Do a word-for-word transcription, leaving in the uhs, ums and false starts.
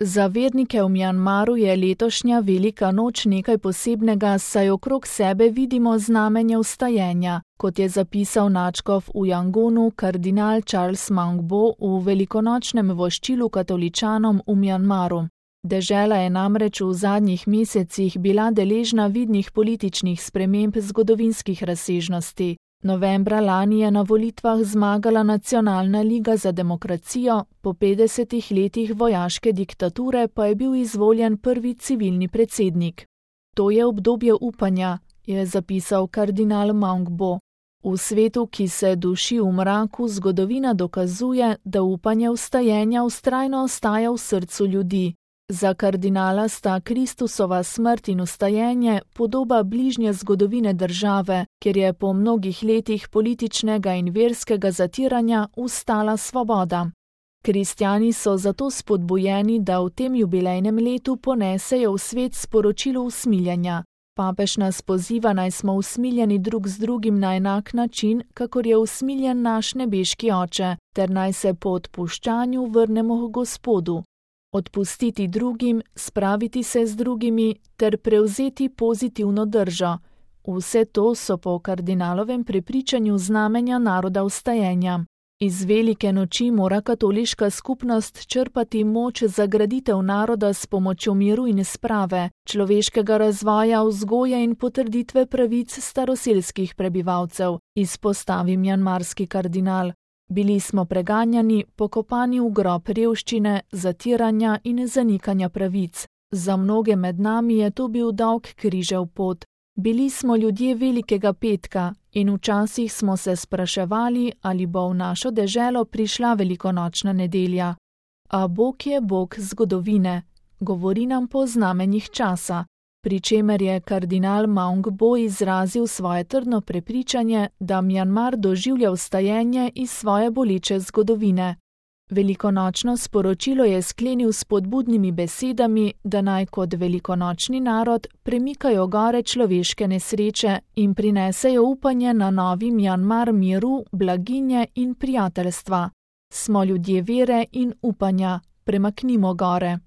Za vernike v Mjanmaru je letošnja velika noč nekaj posebnega, saj okrog sebe vidimo znamenje vstajenja, kot je zapisal nadškof v Jangonu kardinal Charles Maungbo v velikonočnem voščilu katoličanom v Mjanmaru. Dežela je namreč v zadnjih mesecih bila deležna vidnih političnih sprememb zgodovinskih razsežnosti. Novembra lani je na volitvah zmagala Nacionalna liga za demokracijo, po petdesetih letih vojaške diktature pa je bil izvoljen prvi civilni predsednik. To je obdobje upanja, je zapisal kardinal Maungbo. V svetu, ki se duši v mraku, zgodovina dokazuje, da upanje vstajenja vztrajno ostaja v srcu ljudi. Za kardinala sta Kristusova smrt in vstajenje podoba bližnje zgodovine države, kjer je po mnogih letih političnega in verskega zatiranja ustala svoboda. Kristjani so zato spodbujeni, da v tem jubilejnem letu ponesejo v svet sporočilo usmiljenja. Papež nas poziva, naj smo usmiljeni drug z drugim na enak način, kakor je usmiljen naš nebeški Oče, ter naj se po odpuščanju vrnemo k Gospodu. Odpustiti drugim, spraviti se z drugimi ter prevzeti pozitivno držo. Vse to so po kardinalovem prepričanju znamenja naroda vstajenja. Iz velike noči mora katoliška skupnost črpati moč za graditev naroda s pomočjo miru in sprave, človeškega razvoja, vzgoje in potrditve pravic staroselskih prebivalcev, izpostavi mjanmarski kardinal. Bili smo preganjani, pokopani v grob revščine, zatiranja in zanikanja pravic. Za mnoge med nami je to bil dolg križev pot. Bili smo ljudje velikega petka in včasih smo se spraševali, ali bo v našo deželo prišla velikonočna nedelja. A Bog je Bog zgodovine, govori nam po znamenjih časa, pri čemer je kardinal Maungbo izrazil svoje trdno prepričanje, da Mjanmar doživlja vstajenje iz svoje boleče zgodovine. Velikonočno sporočilo je sklenil s spodbudnimi besedami, da naj kot velikonočni narod premikajo gore človeške nesreče in prinesejo upanje na novi Mjanmar miru, blaginje in prijateljstva. Smo ljudje vere in upanja, premaknimo gore.